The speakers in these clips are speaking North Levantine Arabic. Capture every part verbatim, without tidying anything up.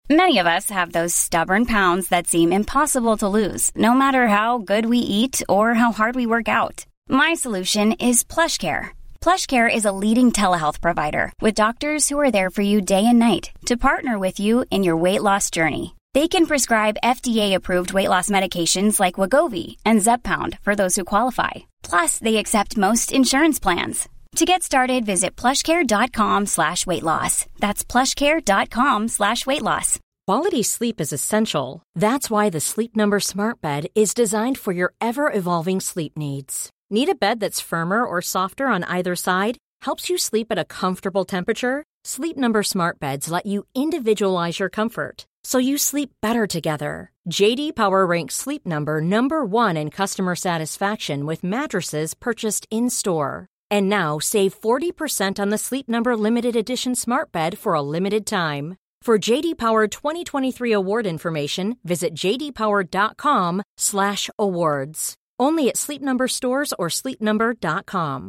Many of us have those stubborn pounds that seem impossible to lose, no matter how good we eat or how hard we work out. My solution is PlushCare. PlushCare is a leading telehealth provider with doctors who are there for you day and night to partner with you in your weight loss journey. They can prescribe F D A-approved weight loss medications like Wegovy and Zepbound for those who qualify. Plus, they accept most insurance plans. To get started, visit plushcare.com slash weight loss. That's plushcare.com slash weight loss. Quality sleep is essential. That's why the Sleep Number Smart Bed is designed for your ever-evolving sleep needs. Need a bed that's firmer or softer on either side? Helps you sleep at a comfortable temperature? Sleep Number Smart Beds let you individualize your comfort, so you sleep better together. J D Power ranks Sleep Number number one in customer satisfaction with mattresses purchased in-store. And now save forty percent on the Sleep Number Limited Edition Smart Bed for a limited time. For J D Power twenty twenty-three award information, visit jdpower.com slash awards. Only at Sleep Number stores or sleep number dot com.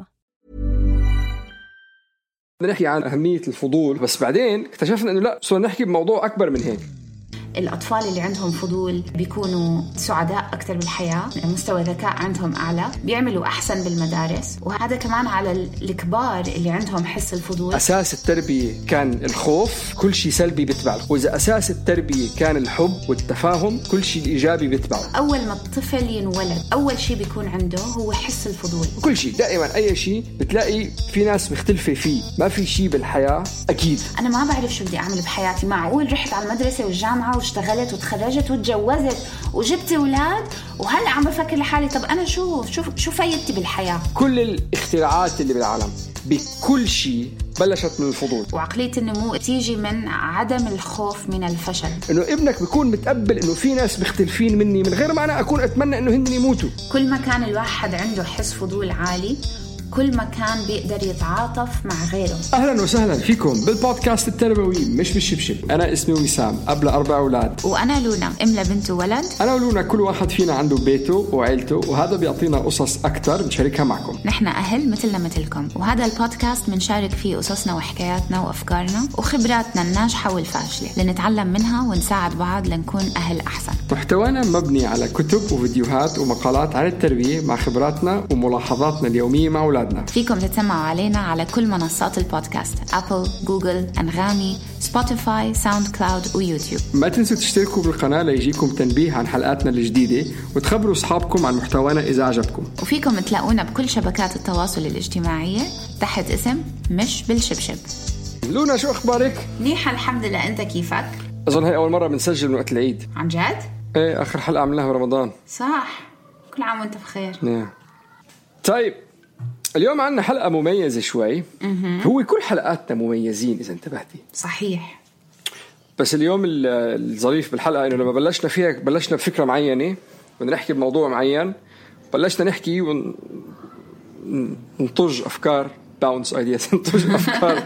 بدنا نحكي عن أهمية الفضول، بس بعدين اكتشفنا إنه لا، صرنا نحكي بموضوع أكبر من هيك. الأطفال اللي عندهم فضول بيكونوا سعداء أكثر بالحياة، مستوى ذكاء عندهم أعلى، بيعملوا أحسن بالمدارس. وهذا كمان على الكبار اللي عندهم حس الفضول. أساس التربية كان الخوف، كل شيء سلبي بيتبعه. وإذا أساس التربية كان الحب والتفاهم، كل شيء إيجابي بيتبعه. أول ما الطفل ينولد أول شيء بيكون عنده هو حس الفضول. كل شيء دائما أي شيء بتلاقي في ناس مختلفة فيه، ما في شيء بالحياة أكيد. أنا ما بعرف شو بدي أعمل بحياتي، معقول رحت على المدرسة والجامعة واشتغلت وتخرجت وتجوزت وجبت أولاد وهلأ عم بفكر لحالي طب أنا شو شو شو فايدتي بالحياة؟ كل الاختراعات اللي بالعالم بكل شيء بلشت من الفضول. وعقلية النمو تيجي من عدم الخوف من الفشل. إنه ابنك بيكون متقبل إنه في ناس مختلفين مني من غير ما أنا أكون أتمنى إنه هن يموتوا. كل ما كان الواحد عنده حس فضول عالي كل ما كان بيقدر يتعاطف مع غيره. أهلا وسهلا فيكم بالبودكاست التربوي مش بالشبشب. أنا اسمي وسام، أب لأربع أولاد. وأنا لونا، أم لبنت وولد. أنا ولونا كل واحد فينا عنده بيته وعيلته، وهذا بيعطينا قصص أكتر نشاركها معكم. نحن أهل مثلنا مثلكم، وهذا البودكاست منشارك فيه قصصنا وحكاياتنا وأفكارنا وخبراتنا الناجحة والفاشلة لنتعلم منها ونساعد بعض لنكون أهل أحسن. محتوانا مبني على كتب وفيديوهات ومقالات عن التربية مع خبراتنا وملاحظاتنا اليومية مع أولادنا. فيكم تتسمعوا علينا على كل منصات البودكاست: أبل، جوجل، أنغامي، سبوتيفاي، ساوند كلاود ويوتيوب. ما تنسوا تشتركوا بالقناة ليجيكم تنبيه عن حلقاتنا الجديدة، وتخبروا أصحابكم عن محتوانا إذا عجبكم. وفيكم تلاقونا بكل شبكات التواصل الاجتماعية تحت اسم مش بالشبشب. لونا شو أخبارك؟ منيحة الحمد لله، أنت كيفك؟ أظن هي أول مرة بنسجل من وقت العيد. عن جد؟ إيه، آخر حلقة عملناها برمضان. صح، كل عام وأنت بخير. نعم. طيب اليوم عنا حلقة مميزة شوي. هو كل حلقاتنا مميزين إذا انتبهتي. صحيح. بس اليوم الظريف بالحلقة إنه لما بلشنا فيها بلشنا بفكرة معينة بدنا نحكي بموضوع معين، بلشنا نحكي ونطج أفكار باونس ايدياز نطج أفكار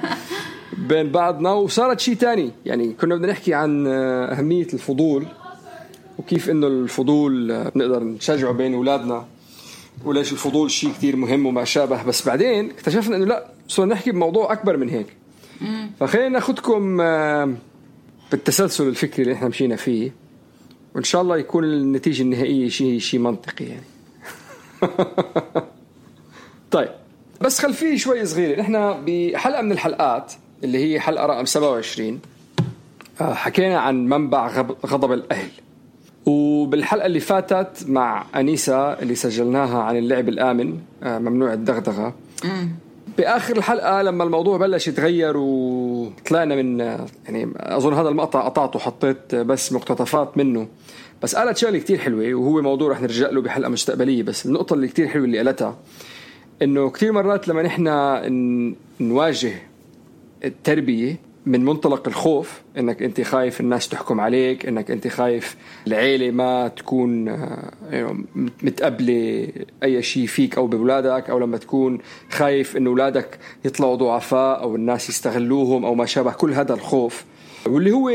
بين بعضنا وصارت شيء تاني. يعني كنا بدنا نحكي عن أهمية الفضول وكيف إنه الفضول بنقدر نشجعه بين أولادنا، وليش الفضول شيء كتير مهم وما شابه. بس بعدين اكتشفنا انه لا، صرنا نحكي بموضوع اكبر من هيك. فخلينا ناخدكم بالتسلسل الفكري اللي احنا مشينا فيه، وان شاء الله يكون النتيجة النهائية شيء شيء منطقي يعني. طيب بس خلفيه شوي صغيرة. احنا بحلقة من الحلقات اللي هي حلقة رقم سبعة وعشرين حكينا عن منبع غضب الأهل، وبالحلقة اللي فاتت مع أنيسة اللي سجلناها عن اللعب الآمن ممنوع الدغدغة، بآخر الحلقة لما الموضوع بلش يتغير وطلعنا من يعني أظن هذا المقطع قطعته وحطيت بس مقتطفات منه، بس قالت شغلة كتير حلوة وهو موضوع رح نرجع له بحلقة مستقبلية. بس النقطة اللي كتير حلوة اللي قالتها إنه كتير مرات لما نحنا نواجه التربية من منطلق الخوف، انك انت خايف الناس تحكم عليك، انك انت خايف العيلة ما تكون متقبلة اي شيء فيك او بولادك، او لما تكون خايف ان اولادك يطلعوا ضعفاء او الناس يستغلوهم او ما شابه كل هذا الخوف، واللي هو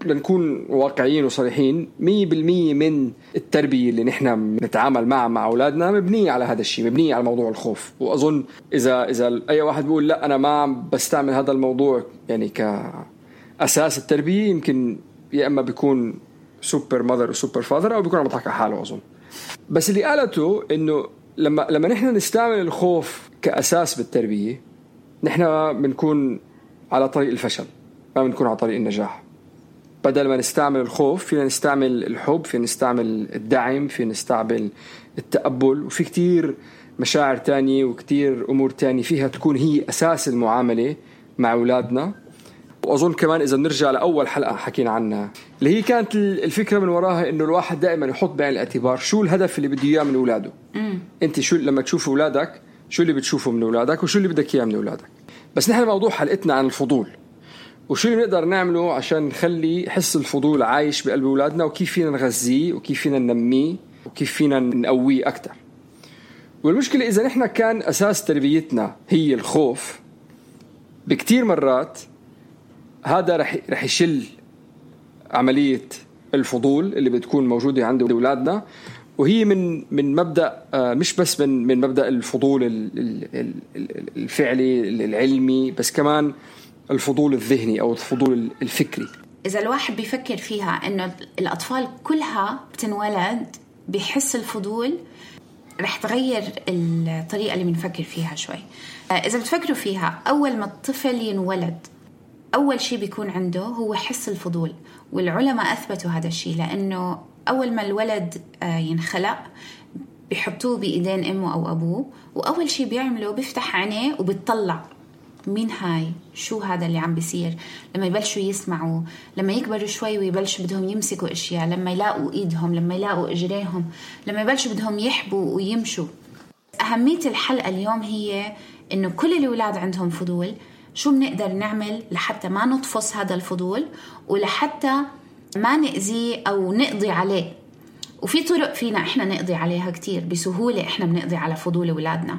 لنكون واقعيين وصريحين مية بالمية من التربية اللي نحن نتعامل معها مع أولادنا مبنية على هذا الشيء، مبنية على موضوع الخوف. وأظن إذا إذا أي واحد بيقول لا أنا ما بستعمل هذا الموضوع يعني كأساس التربية، يمكن يا اما بيكون سوبر ماذر وسوبر فاذر او بيكون عم يضحك على حاله اظن. بس اللي قالته انه لما لما نحن نستعمل الخوف كاساس بالتربيه نحن بنكون على طريق الفشل ما بنكون على طريق النجاح. بدل ما نستعمل الخوف فينا نستعمل الحب، فينا نستعمل الدعم، فينا نستعمل التقبل، وفي كتير مشاعر تانية وكتير أمور تانية فيها تكون هي أساس المعاملة مع أولادنا. وأظن كمان إذا نرجع لأول حلقة حكينا عنها اللي هي كانت الفكرة من وراها إنه الواحد دائما يحط بعين الاعتبار شو الهدف اللي بده إياه من أولاده. أنت شو لما تشوف أولادك شو اللي بتشوفه من أولادك وشو اللي بدك إياه من أولادك. بس نحن موضوع حلقتنا عن الفضول وشو اللي نقدر نعمله عشان نخلي حس الفضول عايش بقلب أولادنا وكيف فينا نغذيه وكيف فينا ننميه وكيف فينا نقويه أكتر. والمشكلة إذا نحن كان أساس تربيتنا هي الخوف بكتير مرات هذا رح رح يشل عملية الفضول اللي بتكون موجودة عند أولادنا. وهي من من مبدأ مش بس من من مبدأ الفضول الفعلي العلمي بس كمان الفضول الذهني أو الفضول الفكري. إذا الواحد بيفكر فيها إنه الأطفال كلها بتنولد بيحس الفضول رح تغير الطريقة اللي بنفكر فيها شوي. إذا بتفكروا فيها أول ما الطفل ينولد أول شيء بيكون عنده هو حس الفضول، والعلماء أثبتوا هذا الشيء لأنه أول ما الولد ينخلق بيحطوه بإيدين أمه أو أبوه وأول شيء بيعمله بيفتح عينيه وبيطلع مين هاي شو هذا اللي عم بيصير. لما يبلشوا يسمعوا لما يكبروا شوي ويبلشوا بدهم يمسكوا أشياء لما يلاقوا إيدهم لما يلاقوا إجريهم لما يبلشوا بدهم يحبوا ويمشوا. أهمية الحلقة اليوم هي إنه كل الأولاد عندهم فضول، شو بنقدر نعمل لحتى ما نطفص هذا الفضول ولحتى ما نأذيه أو نقضي عليه. وفي طرق فينا إحنا نقضي عليها كتير بسهولة. إحنا بنقضي على فضول أولادنا.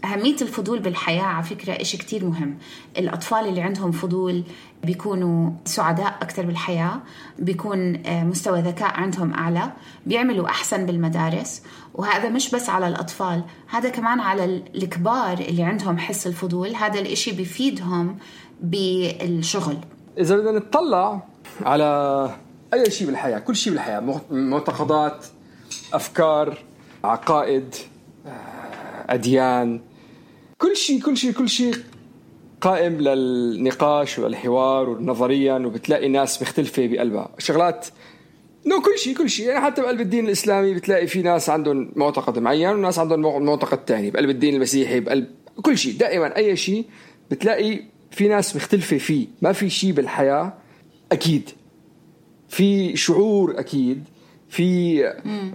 أهمية الفضول بالحياة على فكرة إشي كتير مهم. الأطفال اللي عندهم فضول بيكونوا سعداء أكتر بالحياة، بيكون مستوى ذكاء عندهم أعلى، بيعملوا أحسن بالمدارس. وهذا مش بس على الأطفال، هذا كمان على الكبار اللي عندهم حس الفضول. هذا الإشي بيفيدهم بالشغل. إذا بدنا نتطلع على أي شيء بالحياة، كل شيء بالحياة، معتقدات، أفكار، عقائد، أديان، كل شيء كل شيء كل شيء قائم للنقاش والحوار والنظريا، وبتلاقي ناس مختلفة بقلبها شغلات. نو كل شيء كل شيء يعني حتى بقلب الدين الإسلامي بتلاقي في ناس عندهم معتقد معين وناس عندهم معتقد تاني. بقلب الدين المسيحي بقلب كل شيء دائما أي شيء بتلاقي في ناس مختلفة فيه. ما في شيء بالحياة أكيد، في شعور أكيد، في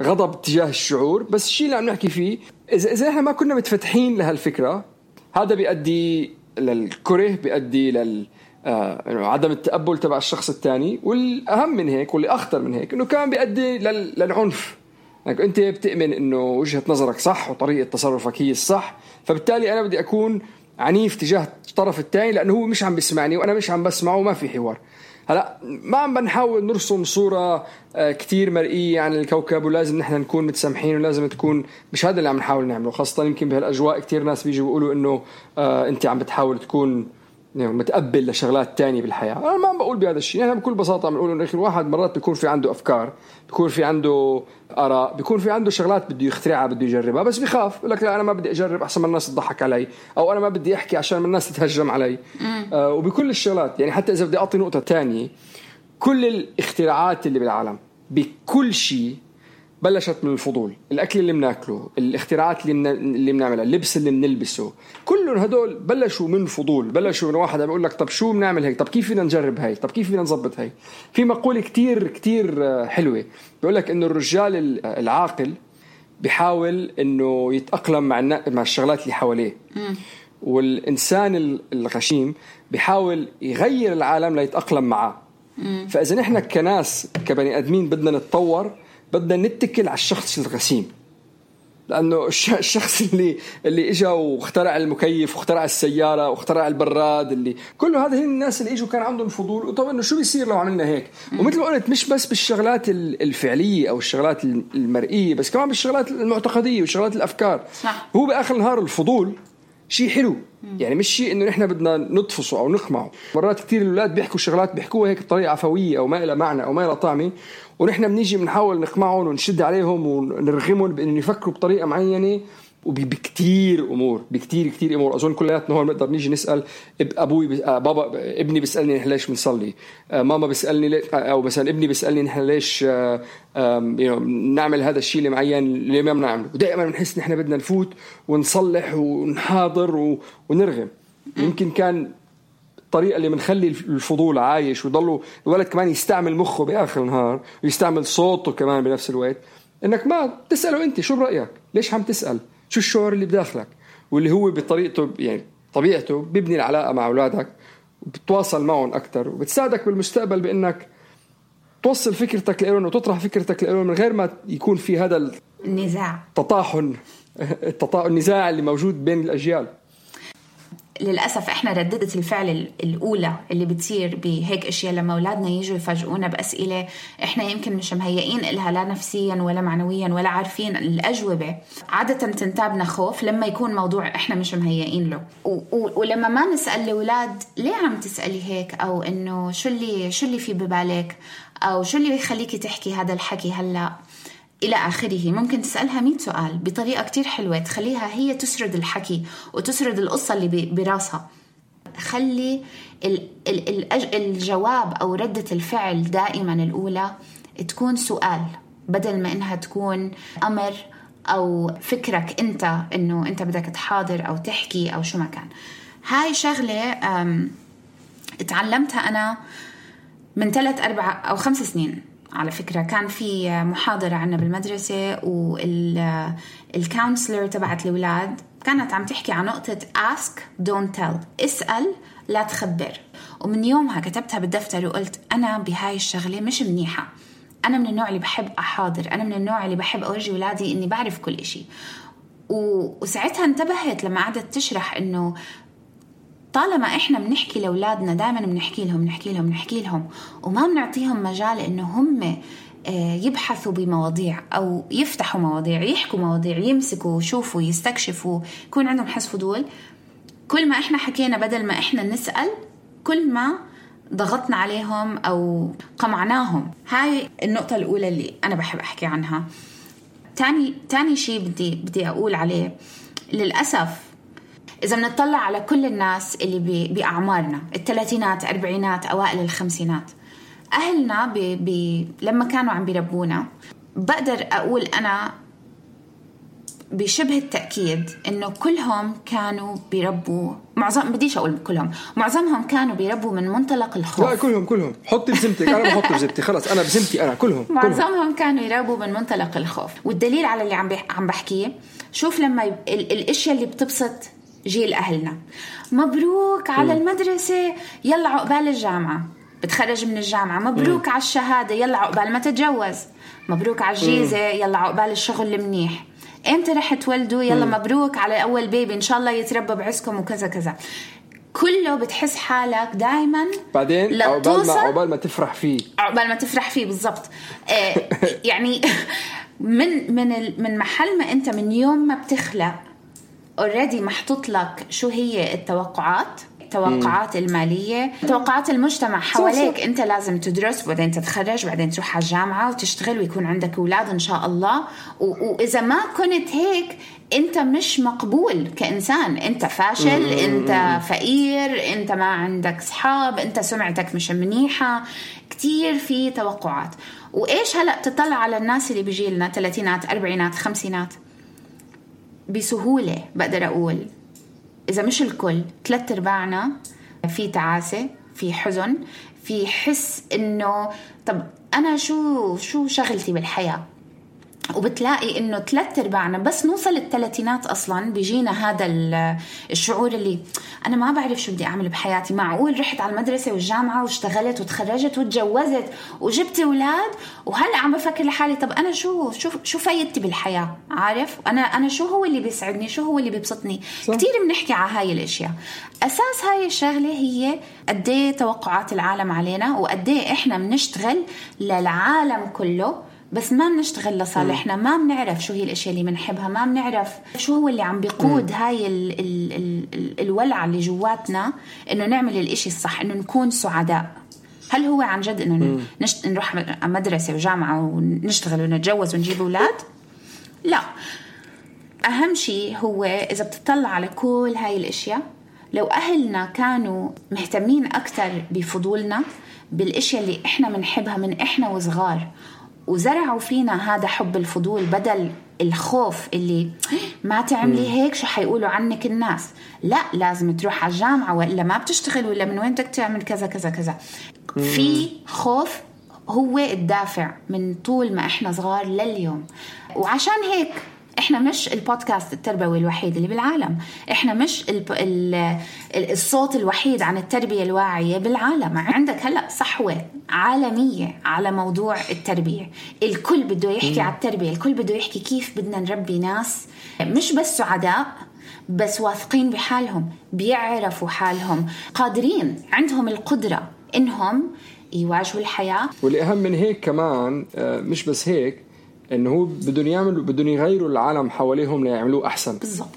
غضب تجاه الشعور، بس الشيء اللي عم نحكي فيه إذا إذا إحنا ما كنا متفتحين لهالفكرة هذا بيؤدي للكره، بيؤدي لل آه عدم التقبل تبع الشخص الثاني. والأهم من هيك واللي أخطر من هيك إنه كمان بيؤدي لل... للعنف. يعني أنت بتؤمن إنه وجهة نظرك صح وطريقة تصرفك هي الصح، فبالتالي أنا بدي أكون عنيف تجاه الطرف الثاني لأنه هو مش عم بيسمعني وأنا مش عم بسمعه وما في حوار. هلا ما عم بنحاول نرسم صورة كتير مرئية عن الكوكب ولازم نحن نكون متسامحين ولازم تكون، مش هذا اللي عم نحاول نعمله. خاصة يمكن بهالأجواء كتير ناس بيجوا بيقولوا إنه آه أنت عم بتحاول تكون متقبل لشغلات تانية بالحياة. أنا ما عم بقول بهذا الشيء. نحن بكل بساطة عم نقول إنه الواحد مرات بيكون في عنده أفكار، بيكون في عنده آراء، بيكون في عنده شغلات بده يخترعها بده يجربها، بس بيخاف يقول لك لا أنا ما بدي أجرب أحسن من الناس تضحك علي، أو أنا ما بدي أحكي عشان من الناس تتهجم علي. آه وبكل الشغلات يعني حتى إذا بدي أعطي نقطة تانية، كل الاختراعات اللي بالعالم بكل شيء بلشت من الفضول. الأكل اللي بناكله، الاختراعات اللي من... اللي بنعملها، اللبس اللي بنلبسه، كلهم هدول بلشوا من فضول. بلشوا من واحد بيقول لك طب شو بنعمل هيك، طب كيف فينا نجرب هاي، طب كيف فينا نظبط هاي. في مقولة كتير كتير حلوة بيقول لك إنه الرجال العاقل بيحاول إنه يتأقلم مع النا... مع الشغلات اللي حواليه، والإنسان الغشيم بيحاول يغير العالم ليتأقلم معه. فإذا نحن كناس كبني أدمين بدنا نتطور، بدنا نتكل على الشخص الغسيم، لأنه الشخص اللي اللي إجا واخترع المكيف واخترع السيارة واخترع البراد، اللي كله هذا هي الناس اللي إجوا كان عندهم فضول. وطبعا إنه شو بيصير لو عملنا هيك. ومثل ما قلت مش بس بالشغلات الفعلية أو الشغلات المرئية، بس كمان بالشغلات المعتقدية والشغلات الأفكار. صح. هو بآخر النهار الفضول شيء حلو. يعني مش شيء إنه نحن بدنا نطفصه أو نقمعه. مرات كتير الأولاد بيحكوا شغلات بيحكوها هيك بطريقة عفوية أو ما إلى معنى أو ما إلى طعمة، ونحن بنيجي بنحاول نقمعهم ونشد عليهم ونرغمهم بأن يفكروا بطريقة معينة. وبكتير أمور بكتير كتير أمور أظن كلياتنا هون نقدر نيجي نسأل أبوي بابا ابني بيسألني نحن ليش بنصلي، ماما بيسألني أو مثلا ابني بيسألني نحن ليش نعمل هذا الشيء اللي معين اللي ما بنعمله. ودائما بنحس نحن بدنا نفوت ونصلح ونحاضر ونرغم. يمكن كان الطريقة اللي بنخلي الفضول عايش ويضلوا الولد كمان يستعمل مخه بآخر النهار ويستعمل صوته كمان بنفس الوقت، إنك ما تسأله أنت شو برأيك، ليش عم تسأل، شو الشعور اللي بداخلك، واللي هو بطريقته يعني طبيعته بيبني العلاقة مع أولادك وبتواصل معهم أكتر وبتساعدك بالمستقبل بأنك توصل فكرتك لهم وتطرح فكرتك لهم من غير ما يكون في هذا النزاع التطاحن التطاحن النزاع اللي موجود بين الأجيال. للأسف إحنا ردة الفعل الأولى اللي بتصير بهيك أشياء لما أولادنا يجوا يفاجئونا بأسئلة إحنا يمكن مش مهيئين إلها لا نفسيا ولا معنويا ولا عارفين الأجوبة، عادة تنتابنا خوف لما يكون موضوع إحنا مش مهيئين له. ولما ما نسأل الأولاد ليه عم تسألي هيك، أو إنه شو اللي شو اللي في ببالك، أو شو اللي بيخليكي تحكي هذا الحكي هلأ إلى آخره، ممكن تسألها مئة سؤال بطريقة كتير حلوة تخليها هي تسرد الحكي وتسرد القصة اللي براسها. خلي ال ال ال الجواب أو ردة الفعل دائما الأولى تكون سؤال بدل ما إنها تكون أمر أو فكرك أنت إنه أنت بدك تحاضر أو تحكي أو شو ما كان. هاي شغلة اتعلمتها أنا من ثلاث أربع أو خمس سنين على فكرة. كان في محاضرة عنا بالمدرسة والكونسلر تبعت الأولاد كانت عم تحكي عن نقطة ask don't tell، اسأل لا تخبر. ومن يومها كتبتها بالدفتر وقلت أنا بهاي الشغلة مش منيحة، أنا من النوع اللي بحب أحاضر، أنا من النوع اللي بحب أورجي أولادي إني بعرف كل إشي. وساعتها انتبهت لما قعدت تشرح إنه طالما إحنا بنحكي لأولادنا دائما بنحكي لهم نحكي لهم نحكي لهم وما بنعطيهم مجال إنه هم يبحثوا بمواضيع أو يفتحوا مواضيع، يحكوا مواضيع، يمسكوا ويشوفوا يستكشفوا، يكون عندهم حس فضول. كل ما إحنا حكينا بدل ما إحنا نسأل كل ما ضغطنا عليهم أو قمعناهم. هاي النقطة الأولى اللي أنا بحب أحكي عنها. تاني تاني شيء بدي بدي أقول عليه، للأسف إذا بنطلع على كل الناس اللي بأعمارنا الثلاثينات أربعينات أوائل الخمسينات، أهلنا بي بي لما كانوا عم بيربونا، بقدر أقول أنا بشبه التأكيد إنه كلهم كانوا بيربوا، معظم بديش أقول كلهم، معظمهم كانوا بيربوا من منطلق الخوف. لا كلهم كلهم حطي بزمتك، أنا بحط بزمتي خلاص، أنا بزمتي أنا كلهم. معظمهم كلهم. كانوا يربوا من منطلق الخوف. والدليل على اللي عم عم بحكيه، شوف لما ال الأشياء اللي بتبسط جيل أهلنا، مبروك على المدرسة، يلا عقبال الجامعة، بتخرج من الجامعة، مبروك م. على الشهادة، يلا عقبال ما تتجوز، مبروك على الجيزة، يلا عقبال الشغل المنيح، امتى رح تولدوا، يلا م. مبروك على أول بيبي، إن شاء الله يتربى بعزكم وكذا كذا. كله بتحس حالك دايما بعدين عقبال ما عقبال ما تفرح فيه عقبال ما تفرح فيه بالضبط. آه يعني من من من محل ما أنت من يوم ما بتخلق already محطوط لك شو هي التوقعات، التوقعات مم. المالية، توقعات المجتمع حواليك. صح صح. أنت لازم تدرس وبعدين تتخرج وبعدين تروح على الجامعة وتشتغل ويكون عندك أولاد إن شاء الله. وإذا ما كنت هيك أنت مش مقبول كإنسان، أنت فاشل، مم. أنت فقير، أنت ما عندك صحاب، أنت سمعتك مش منيحة. كتير في توقعات. وإيش هلأ تطلع على الناس اللي بيجيلنا ثلاثينات أربعينات خمسينات، بسهولة بقدر أقول إذا مش الكل، ثلاث أرباعنا في تعاسة، في حزن، في حس إنه طب أنا شو شو شغلتي بالحياة. وبتلاقي إنه ثلاث أرباعنا بس نوصل الثلاثينات أصلاً بيجينا هذا الشعور اللي أنا ما بعرف شو بدي أعمل بحياتي. معقول رحت على المدرسة والجامعة واشتغلت وتخرجت وتجوزت وجبت أولاد وهلأ عم بفكر لحالي طب أنا شو شو شو فايدتي بالحياة؟ عارف أنا أنا شو هو اللي بيسعدني، شو هو اللي بيبسطني؟ صح. كتير بنحكي على هاي الأشياء. أساس هاي الشغلة هي قديه توقعات العالم علينا وقديه إحنا بنشتغل للعالم كله بس ما بنشتغل لصالحنا، ما بنعرف شو هي الاشياء اللي بنحبها، ما بنعرف شو هو اللي عم بيقود هاي ال ال ال ال الولعة اللي جواتنا انه نعمل الاشي الصح، انه نكون سعداء. هل هو عن جد انه نشت... نروح مدرسة وجامعة ونشتغل ونتجوز ونجيب اولاد؟ لا. اهم شيء هو اذا بتطلع على كل هاي الاشياء، لو اهلنا كانوا مهتمين اكتر بفضولنا، بالاشياء اللي احنا بنحبها من احنا وصغار، وزرعوا فينا هذا حب الفضول بدل الخوف اللي ما تعملي هيك شو حيقولوا عنك الناس، لا لازم تروح على الجامعة وإلا ما بتشتغل، ولا من وين بدك تعمل كذا كذا كذا. في خوف هو الدافع من طول ما احنا صغار لليوم. وعشان هيك احنا مش البودكاست التربوي الوحيد اللي بالعالم، احنا مش ال ال الصوت الوحيد عن التربية الواعية بالعالم. عندك هلأ صحوة عالمية على موضوع التربية، الكل بده يحكي على التربية، الكل بده يحكي كيف بدنا نربي ناس مش بس سعداء، بس واثقين بحالهم، بيعرفوا حالهم، قادرين، عندهم القدرة انهم يواجهوا الحياة. واللي اهم من هيك كمان مش بس هيك، انه هو بدهم يعملوا بدهم يغيروا العالم حواليهم ليعملوه احسن. بالضبط.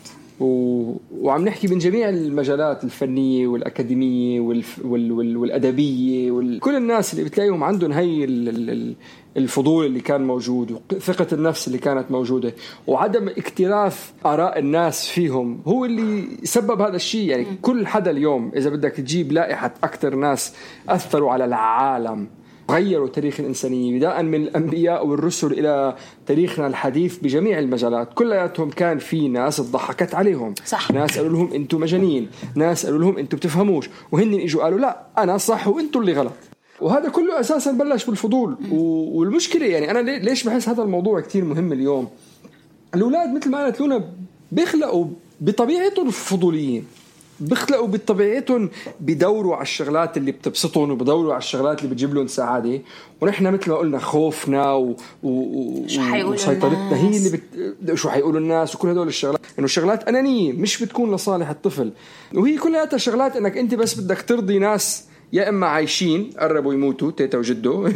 و... وعم نحكي من جميع المجالات الفنيه والاكاديميه والف... وال... وال... والادبيه وال... كل الناس اللي بتلاقيهم عندهم هي ال... الفضول اللي كان موجود، وثقه النفس اللي كانت موجوده، وعدم اكتراث اراء الناس فيهم هو اللي سبب هذا الشيء. يعني م. كل حدا اليوم اذا بدك تجيب لائحه اكثر ناس اثروا على العالم، غيروا تاريخ الإنسانية، بداء من الأنبياء والرسل إلى تاريخنا الحديث بجميع المجالات، كلياتهم كان في ناس ضحكت عليهم. صح. ناس قالوا لهم أنتم مجانين، ناس قالوا لهم أنتم بتفهموش، وهن إجوا قالوا لا أنا صح وأنتم اللي غلط. وهذا كله أساسا بلش بالفضول. والمشكلة يعني أنا ليش بحس هذا الموضوع كتير مهم اليوم، الأولاد مثل ما قالت لونا بيخلقوا بطبيعتهم فضوليين، بيخلقوا بطبيعتهم بدوروا على الشغلات اللي بتبسطهم وبدوروا على الشغلات اللي بتجيب لهم سعادة. ونحن مثل ما قلنا خوفنا و... و... وسيطرتنا هي اللي بت... شو حيقولوا الناس وكل هدول الشغلات، انه الشغلات أنانية مش بتكون لصالح الطفل، وهي كلها شغلات انك انت بس بدك ترضي ناس يا اما عايشين قربوا يموتوا تيتا وجدو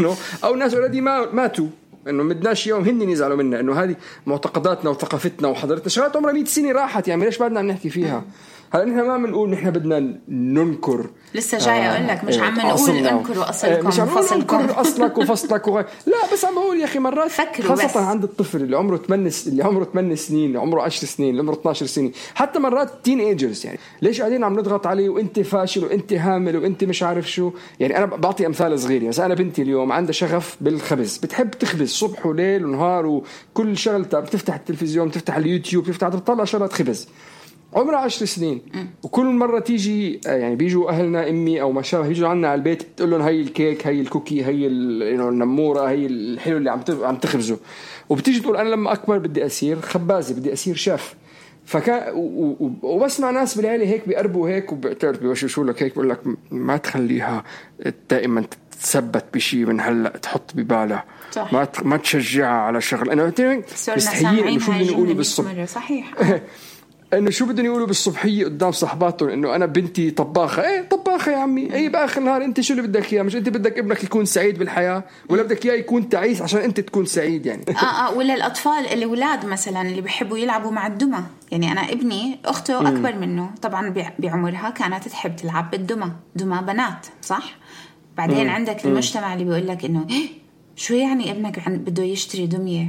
او ناس اوريدي ما ماتوا، انه مدناش يوم هن يزعلوا منا، انه هذه معتقداتنا وثقافتنا وحضارتنا، شغلات عمرها مئة سنة راحت، يعني ليش بعدنا عم نحكي فيها؟ هلا نحن ما بنقول نحن بدنا ننكر، لسه جاي اقول لك مش عم نقول انكروا اصلكم مش عم نقول انكر اصلك وفصلك وغير. لا بس عم بقول يا اخي مرات خاصه بس. عند الطفل اللي عمره ثمانية اللي عمره ثمانية سنين، اللي عمره عشر سنين، اللي عمره اثناشر سنه، حتى مرات تين ايجرز، يعني ليش قاعدين عم نضغط عليه وانت فاشل وانت هامل وانت مش عارف شو. يعني انا بعطي امثال صغيره، بس انا بنتي اليوم عندها شغف بالخبز، بتحب تخبز صبح وليل ونهار، وكل شغلتها بتفتح التلفزيون، بتفتح اليوتيوب، بتفتح تطلع شغلات خبز، عمرها عشر سنين. وكل مرة تيجي يعني بيجوا أهلنا أمي أو ما شابه يجوا عنا على البيت تقول لهم هاي الكيك، هاي الكوكي، هي النمورة، هي الحلو اللي عم عم تخبزه، وبتيجي تقول أنا لما أكبر بدي أصير خبازة، بدي أصير شيف. فكان وبسمع ناس بالعيلة هيك بيقربوا هيك وبتعرف بيوشوشوا لك هيك، بقول لك ما تخليها دائما تثبت بشيء من هلا تحط ببالها، ما ما تشجعها على شغل. أنا مستحيل إنه شو بدي نقوله بالصبح، صحيح انه شو بدهم يقولوا بالصبحيه قدام صحباتهم انه انا بنتي طباخه. ايه طباخه يا عمي، ايه باخر النهار انت شو اللي بدك اياه؟ مش انت بدك ابنك يكون سعيد بالحياه، ولا بدك اياه يكون تعيس عشان انت تكون سعيد؟ يعني اه اه ولا الاطفال الاولاد مثلا اللي بيحبوا يلعبوا مع الدمى. يعني انا ابني اخته اكبر م. منه طبعا بعمرها كانت تحب تلعب بالدمى، دمى بنات صح. بعدين م. عندك المجتمع اللي بيقول لك انه شو يعني ابنك بده يشتري دمية؟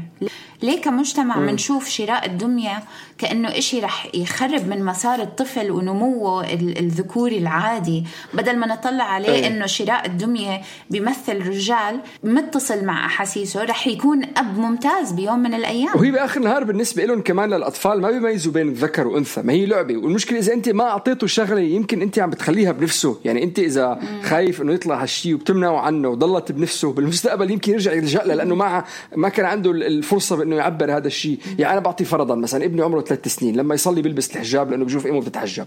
ليه كمجتمع منشوف شراء الدمية كأنه إشي رح يخرب من مسار الطفل ونموه الذكوري العادي، بدل ما نطلع عليه أيه. إنه شراء الدمية بيمثل رجال متصل مع أحاسيسه رح يكون أب ممتاز بيوم من الأيام. وهي بآخر النهار بالنسبة لهم كمان للأطفال ما بيميزوا بين الذكر وأنثى، ما هي لعبة. والمشكلة إذا أنت ما أعطيته شغلة يمكن أنت عم بتخليها بنفسه، يعني أنت إذا مم. خايف إنه يطلع هالشي وبتمنعه عنه وضلت بنفسه بالمستقبل يمكن يرجع يلجأ له لأنه ما ما كان عنده الفرصة بأنه يعبر هذا الشيء. يعني أنا بعطي فرضا مثلا ابني عمره ثلاث سنين لما يصلي بيلبس الحجاب لأنه بيشوف إمه بتتحجب،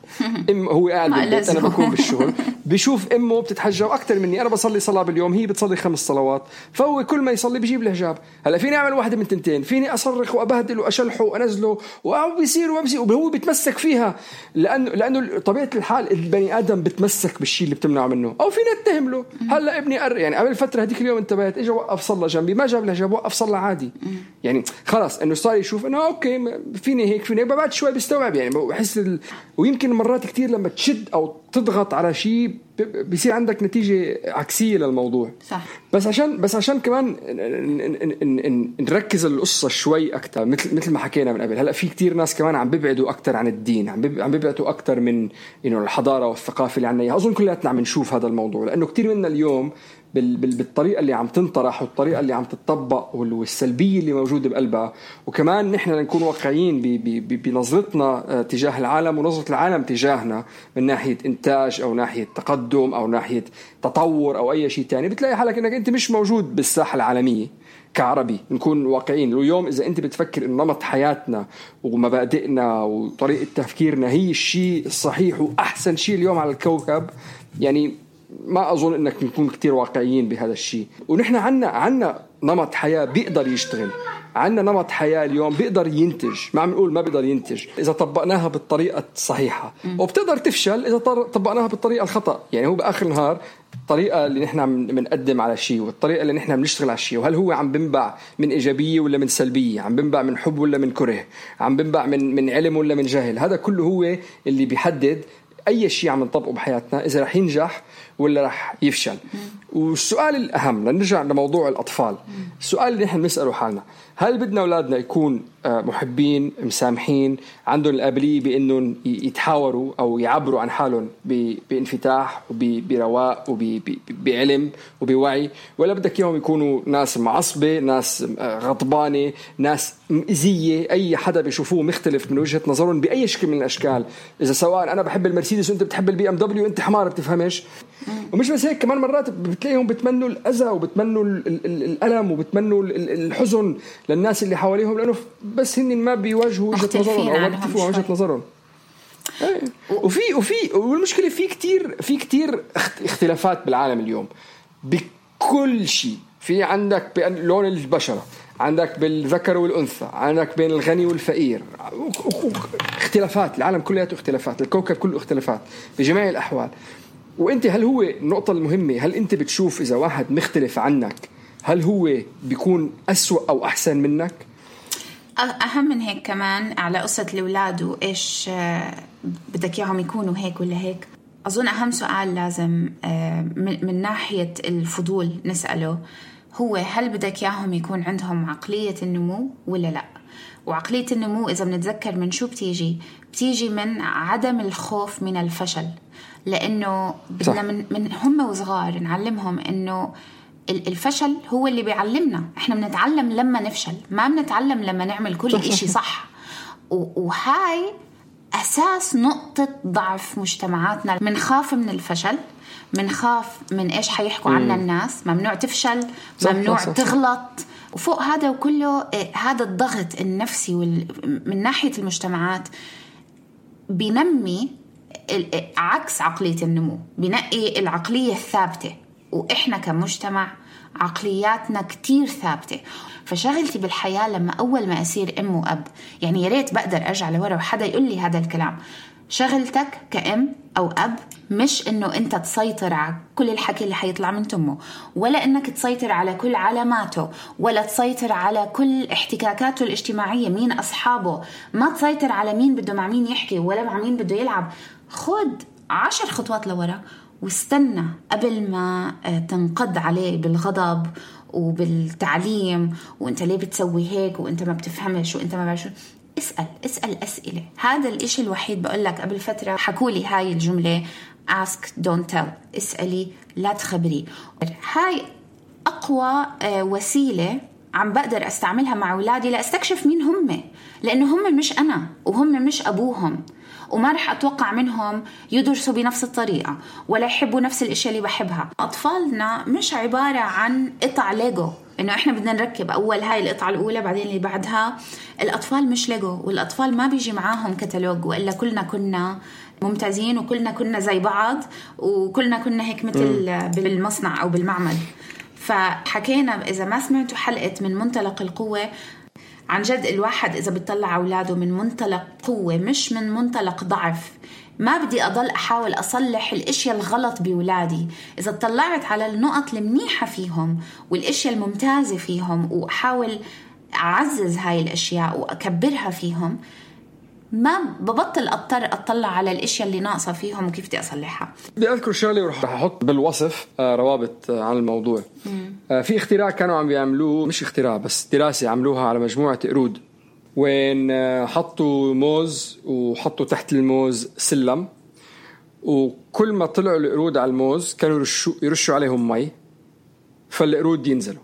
إم هو قاعد بالبيت أنا بكون بالشغل بيشوف امه بتتحجب اكثر مني، انا بصلي صلاه باليوم هي بتصلي خمس صلوات، فهو كل ما يصلي بيجيب الحجاب. هلا فيني اعمل واحده من تنتين، فيني اصرخ وابهدل واشلحه وانزله وبيصير وبيصير وهو بيتمسك فيها، لانه لانه طبيعه الحال البني ادم بتمسك بالشيء اللي بتمنعه منه، او فينا نتهم له. هلا ابني أر... يعني قبل فتره هذيك اليوم انتبهت، اجى وقف صلى جنبي، ما جاب الحجاب، وقف صلى عادي. يعني خلاص انه صار يشوف انه اوكي فيني هيك فيني، بعد شوي بيستوعب. يعني بحس ال... ويمكن مرات كتير لما تشد او تضغط على شيء بيصير عندك نتيجة عكسية للموضوع. صح. بس عشان بس عشان كمان نركز القصة شوي أكتر، مثل مثل ما حكينا من قبل. هلا في كتير ناس كمان عم بيبعدوا أكتر عن الدين، عم عم بيبعدوا أكتر من إنه الحضارة والثقافة اللي عنا إياها. أظن كلياتنا عم نشوف هذا الموضوع، لأنه كتير منا اليوم بالطريقة اللي عم تنطرح والطريقة اللي عم تطبق والسلبية اللي موجودة بقلبها. وكمان نحن نكون واقعيين بنظرتنا تجاه العالم ونظرة العالم تجاهنا من ناحية إنتاج أو ناحية تقدم أو ناحية تطور أو أي شيء تاني. بتلاقي حالك إنك أنت مش موجود بالساحة العالمية كعربي. نكون واقعيين. اليوم إذا أنت بتفكر إن نمط حياتنا ومبادئنا وطريقة تفكيرنا هي الشيء الصحيح وأحسن شيء اليوم على الكوكب، يعني ما أظن إنك نكون كتير واقعيين بهذا الشيء. ونحن عنا عنا نمط حياة بيقدر يشتغل، عنا نمط حياة اليوم بيقدر ينتج. ما عم نقول ما بيقدر ينتج إذا طبقناها بالطريقة الصحيحة، وبتقدر تفشل إذا طبقناها بالطريقة الخطأ. يعني هو بآخر النهار الطريقة اللي نحن بنقدم على شيء والطريقة اللي نحن بنشتغل على الشيء، وهل هو عم بنبع من إيجابية ولا من سلبية، عم بنبع من حب ولا من كره، عم بنبع من من علم ولا من جهل. هذا كله هو اللي بيحدد أي شيء عم نطبقه بحياتنا إذا رح ينجح ولا رح يفشل. والسؤال الأهم، لنرجع لموضوع الأطفال، السؤال اللي نحن نسأله حالنا: هل بدنا أولادنا يكون محبين مسامحين عندهم القابلية بأنهم يتحاوروا أو يعبروا عن حالهم بانفتاح وبرواق وبعلم وبوعي، ولا بدك إياهم يكونوا ناس معصبة، ناس غضبانة، ناس مئزية، أي حدا بيشوفوه مختلف من وجهة نظرهم بأي شكل من الأشكال؟ إذا سواء أنا بحب المرسيدس وأنت بتحب البي أم دبليو أنت حمار بتفهمش. ومش بس هيك، كمان مرات بتلاقيهم بتمنوا الأذى وبتمنوا الألم وبتمنوا الحزن للناس اللي حواليهم، لأنه بس هن ما بيواجهوا وجهة نظرهم أو ما بيتفقوا وجهة نظرهم. وفي وفي والمشكلة في كتير في كتير اختلافات بالعالم اليوم بكل شيء. في عندك بلون البشرة، عندك بالذكر والأنثى، عندك بين الغني والفقير، اختلافات. العالم كله اختلافات، الكوكب كله اختلافات بجميع الأحوال. وانت هل هو النقطة المهمة، هل انت بتشوف اذا واحد مختلف عنك هل هو بيكون أسوأ او احسن منك؟ اهم من هيك كمان على قصة الاولاد وايش بدك اياهم يكونوا هيك ولا هيك. اظن اهم سؤال لازم من ناحية الفضول نسأله هو: هل بدك اياهم يكون عندهم عقلية النمو ولا لا؟ وعقلية النمو إذا بنتذكر من شو بتيجي بتيجي من عدم الخوف من الفشل. لأنه بدنا من, من هم وصغار نعلمهم إنه الفشل هو اللي بيعلمنا. إحنا بنتعلم لما نفشل، ما بنتعلم لما نعمل كل إشي صح. وهاي أساس نقطة ضعف مجتمعاتنا. منخاف من الفشل، منخاف من إيش حيحكوا عنا الناس، ممنوع تفشل، ممنوع صح صح تغلط. وفوق هذا وكله هذا الضغط النفسي من ناحية المجتمعات بينمي عكس عقلية النمو، بينقي العقلية الثابتة. وإحنا كمجتمع عقلياتنا كتير ثابتة. فشغلتي بالحياة لما أول ما أصير أم وأب، يعني ياريت بقدر أرجع لورا وحدا يقول لي هذا الكلام، شغلتك كأم أو أب مش إنه أنت تسيطر على كل الحكي اللي حيطلع من تمه، ولا إنك تسيطر على كل علاماته، ولا تسيطر على كل احتكاكاته الاجتماعية، مين أصحابه، ما تسيطر على مين بده مع مين يحكي ولا مع مين بده يلعب. خد عشر خطوات لورا واستنى قبل ما تنقض عليه بالغضب وبالتعليم، وانت ليه بتسوي هيك وانت ما بتفهمش وانت ما بعرف. اسأل اسأل أسئلة. هذا الاشي الوحيد بقول لك. قبل فترة حكولي هاي الجملة ask don't tell، اسألي لا تخبري. هاي أقوى وسيلة عم بقدر أستعملها مع أولادي لأستكشف مين هم، لأنه هم مش أنا وهم مش أبوهم، وما رح أتوقع منهم يدرسوا بنفس الطريقة ولا يحبوا نفس الأشياء اللي بحبها. أطفالنا مش عبارة عن قطع ليجو إنه إحنا بدنا نركب أول هاي القطعة الأولى بعدين اللي بعدها. الأطفال مش ليجو، والأطفال ما بيجي معاهم كتالوج، وإلا كلنا كنا ممتازين وكلنا كنا زي بعض وكلنا كنا هيك مثل بالمصنع أو بالمعمل. فحكينا إذا ما سمعتوا حلقة من منطلق القوة، عن جد الواحد إذا بيطلع أولاده من منطلق قوة مش من منطلق ضعف، ما بدي أضل أحاول أصلح الأشياء الغلط بولادي. إذا اطلعت على النقط المنيحة فيهم والأشياء الممتازة فيهم وأحاول أعزز هاي الأشياء وأكبرها فيهم، ما ببطل أضطر أطلع على الأشياء اللي ناقصة فيهم وكيف بدي أصلحها. بدي أذكر شغلة ورح أحط بالوصف روابط عن الموضوع. مم. في اختراع كانوا عم بيعملوه، مش اختراع بس دراسة عملوها على مجموعة قرود، وين حطوا موز وحطوا تحت الموز سلم، وكل ما طلعوا القرود على الموز كانوا يرشوا, يرشوا عليهم مي فالقرود ينزلوا،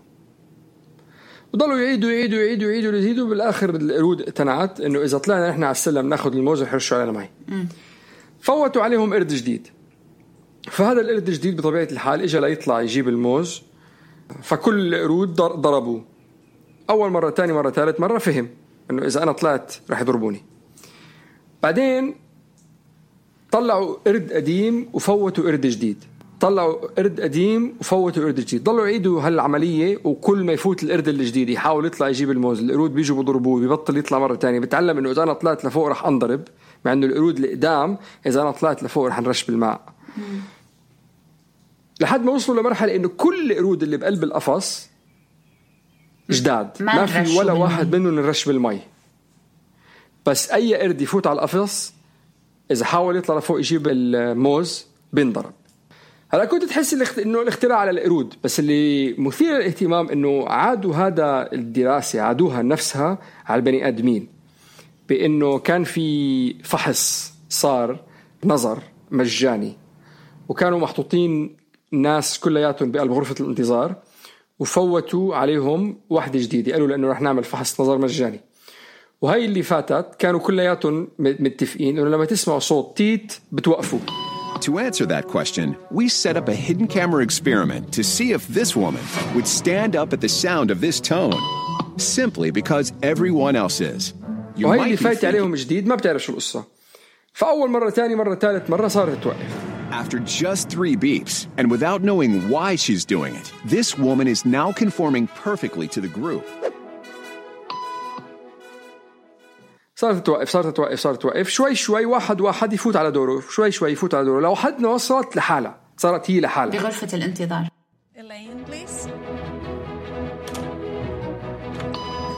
وضلوا يعيدوا يعيدوا يعيدوا يعيدوا يزيدوا. بالآخر القرود اقتنعت إنه إذا طلعنا نحن على السلم ناخد الموز ويحرشوا علينا مي. فوتوا عليهم قرد جديد، فهذا القرد الجديد بطبيعة الحال إجا ليطلع يجيب الموز، فكل القرود ضربوه. أول مرة، تاني مرة، ثالث مرة فهم إنه إذا أنا طلعت رح يضربوني. بعدين طلعوا قرد قديم وفوتوا قرد جديد، طلعوا قرد قديم وفوتوا قرد جديد، ضلوا يعيدوا هالعملية. وكل ما يفوت القرد الجديد يحاول يطلع يجيب الموز، القرود بيجوا بضربوه، بيبطل يطلع مرة تانية. بتعلم إنه إذا أنا طلعت لفوق رح أنضرب، مع إنه القرود القدام إذا أنا طلعت لفوق رح نرش بالماء. لحد ما وصلوا لمرحلة إنه كل القرود اللي بقلب القفص جداد، ما, ما في ولا واحد منهم نرش بالمي. بس أي قرد يفوت على القفص إذا حاول يطلع لفوق يجيب الموز بينضرب. هلا كنت تحس إنه الاختراع على القرود، بس اللي مثير للاهتمام إنه عادوا هذا الدراسة عادوها نفسها على البني آدمين، بإنه كان في فحص صار نظر مجاني، وكانوا محطوطين ناس كلياتهم بقلب غرفة الانتظار، وفوتوا عليهم واحدة جديدة، قالوا لأنه رح نعمل فحص نظر مجاني. وهي اللي فاتت كانوا كلياتهم متفقين إنه لما تسمعوا صوت تيت بتوقفوا. To answer that question, we set up a hidden camera experiment to see if this woman would stand up at the sound of this tone, simply because everyone else is. وهي اللي فايت عليهم جديد ما بتعرف شو القصة. فأول مرة، تاني مرة، ثالث مرة صارت توقف. After just three beeps, and without knowing why she's doing it, this woman is now conforming perfectly to the group. صارت توقف صارت توقف صارت توقف شوي شوي، واحد واحد يفوت على دوره، شوي شوي يفوت على دوره، لو حد وصلت لحالها، صارت هي لحالها بغرفة الانتظار. Elaine, please.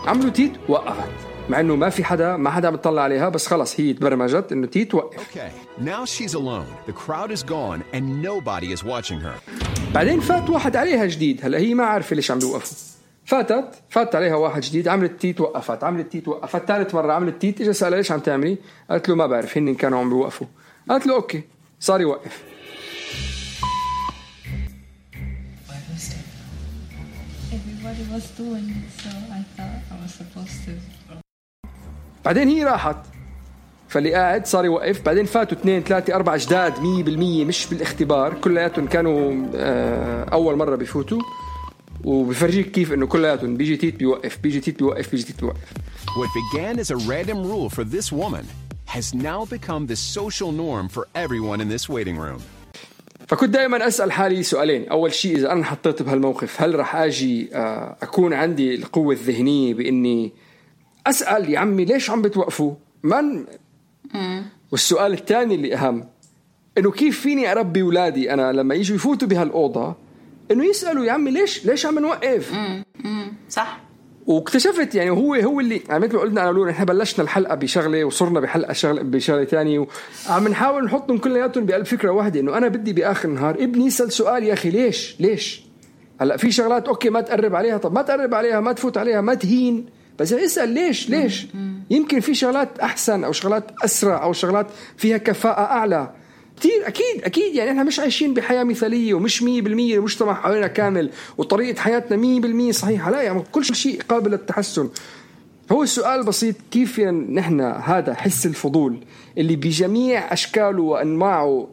عملوا تيت وقفت، مع إنه ما في حدا ما حدا بتطلع عليها، بس خلص هي تبرمجت إنه تيت وقف. Okay, now she's alone. The crowd is gone and nobody is watching her. بعدين فات واحد عليها جديد، هلا هي ما عارفة ليش عم بيوقفوا. فاتت فات عليها واحد جديد، عملت تيت وقفت، عملت تيت وقفت، ثالث مرة عملت تيت. إجا سألها ليش عم تعملي؟ قالت له ما بعرف، هن كانوا عم بيوقفوا. قالت له أوكي، صار يوقف. Everybody was doing it, so I thought I was supposed to. بعدين هي راحت، فاللي قاعد صار يوقف. بعدين فاتوا اثنين ثلاثة أربعة جداد مية بالمية مش بالاختبار، كلياتهم كانوا أول مرة بيفوتوا، وبفرجيك كيف إنه كلياتهم بيجي تيت بيوقف، بيجي تيت بيوقف، بيجي تيت بيوقف. What began as a random rule for this woman has now become the social norm for everyone in this waiting room. فكنت دائما أسأل حالي سؤالين. أول شيء، إذا أنا حطيت بهالموقف هل رح أجي أكون عندي القوة الذهنية بإني أسأل يا عمي ليش عم بتوقفوا من؟ والسؤال الثاني اللي أهم، إنه كيف فيني أربي أولادي أنا لما يجوا يفوتوا بهالأوضة إنه يسألوا يا عمي ليش ليش عم نوقف؟ صح. واكتشفت يعني هو هو اللي يعني مثل ما قلنا أنا ولون، إحنا بلشنا الحلقة بشغلة وصرنا بحلقة شغلة بشغلة تانية، وعم نحاول نحطهم كلياتهم بقلب فكرة واحدة، إنه أنا بدي بآخر النهار ابني يسأل سؤال، يا أخي ليش ليش؟ هلا في شغلات أوكي ما تقرب عليها، طب ما تقرب عليها، ما تفوت عليها، ما تهين، بس اسأل ليش ليش؟ يمكن في شغلات أحسن أو شغلات أسرع أو شغلات فيها كفاءة أعلى كتير. أكيد أكيد يعني إحنا مش عايشين بحياة مثالية ومش مية بالمية المجتمع حوالينا كامل وطريقة حياتنا مية بالمية صحيحة، لا يعني كل شيء قابل للتحسن. هو السؤال بسيط، كيف يعني نحن هذا حس الفضول اللي بجميع أشكاله وأنواعه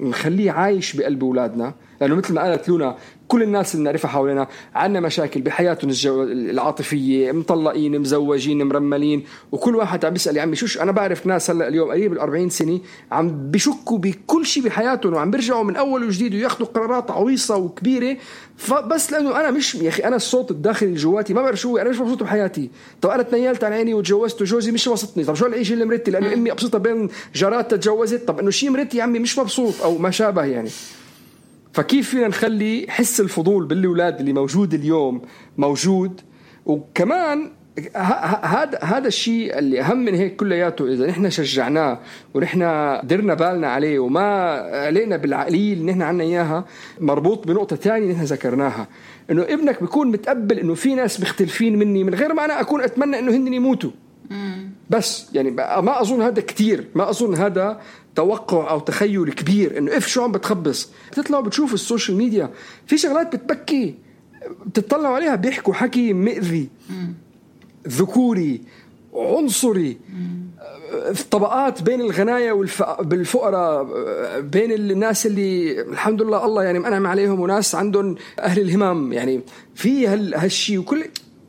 نخليه عايش بقلب أولادنا؟ لأنه مثل ما قالت لونا كل الناس اللي نعرفها حوالينا عنا مشاكل بحياتهم الجو... العاطفية، مطلقين، مزوجين، مرملين، وكل واحد عم بيسأل يا عمي شوش. أنا بعرف ناس هلأ اليوم قريب الأربعين سنة عم بيشكوا بكل شيء بحياتهم وعم بيرجعوا من أول وجديد وياخدوا قرارات عويصة وكبيرة، فبس لأنه أنا مش يا أخي أنا الصوت الداخلي الجواتي ما بعرف شو، أنا مش مبسوط بحياتي. طب أنا تنيلت عن عيني وتجوزت وجوزي مش مبسطني، طب شو العيش اللي مرتي لأنه أمي أبسطها بين جارات تتجوزت، طب إنه شيء مرتي يا عمي مش مبسوط أو ما شابه يعني. فكيف فينا نخلي حس الفضول بالأولاد اللي موجود اليوم موجود؟ وكمان هذا هذا الشيء اللي أهم من هيك كلياته، إذا نحن شجعناه ونحن درنا بالنا عليه وما علينا بالعقلية اللي نحن عنا إياها، مربوط بنقطة تانية نحن ذكرناها، إنه ابنك بيكون متقبل إنه في ناس مختلفين مني من غير ما أنا أكون أتمنى إنه هن يموتوا. بس يعني ما أظن هذا كتير، ما أظن هذا توقع أو تخيل كبير إنه إف شو عم بتخبص. بتطلعوا بتشوفوا السوشيال ميديا في شغلات بتبكي، بتطلعوا عليها بيحكوا حكي مئذي، ذكوري، عنصري، طبقات بين الغنايا والفقراء، بين الناس اللي الحمد لله الله يعني منعم عليهم وناس عندهم أهل الهمام، يعني في هالشي. وكل